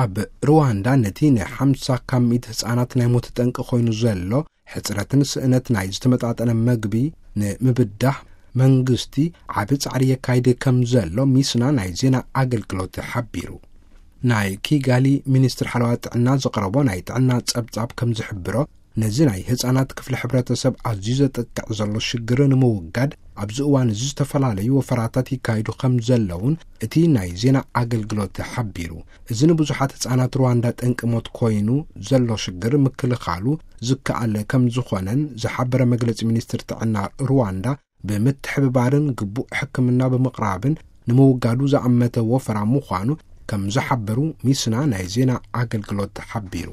ኣብ ሩዋንዳ ነቲ ን50 ካብ ሚእቲ ህጻናት ናይ ሞት ጠንቂ ኮይኑ ዘሎ ሕጽረትን ስእነት ናይ ዝተመጣጠነ መግቢ ንምብዳህ መንግስቲ ዓቢ ጻዕሪ የካይድ ከም ዘሎ ሚስና ናይ ዜና ኣገልግሎት ሓቢሩ። ናይ ኪጋሊ ሚኒስትር ሓለዋ ጥዕና ዘቕረቦ ናይ ጥዕና ጸብጻብ ከም ዝሕብሮ፣ ነዚ ናይ ህጻናት ክፍሊ ሕብረተሰብ ኣዝዩ ዘጥቅዕ ዘሎ ሽግር ንምውጋድ ኣብዚ እዋን እዚ ዝተፈላለዩ ወፈራታት ይካየዱ ከም ዘለውን እቲ ናይ ዜና ኣገልግሎት ሓቢሩ። እዚ ንብዙሓት ህጻናት ሩዋንዳ ጠንቂ ሞት ኮይኑ ዘሎ ሽግር ምክልኻሉ ዝከኣል ከም ዝኾነን ዝሓበረ መግለጺ ሚኒስትር ጥዕና ሩዋንዳ፣ ብምትሕብባርን ግቡእ ሕክምና ብምቕራብን ንምውጋዱ ዝኣመተ ወፈራ ምዃኑ ከም ዝሓበሩ ሚስና ናይ ዜና ኣገልግሎት ሓቢሩ።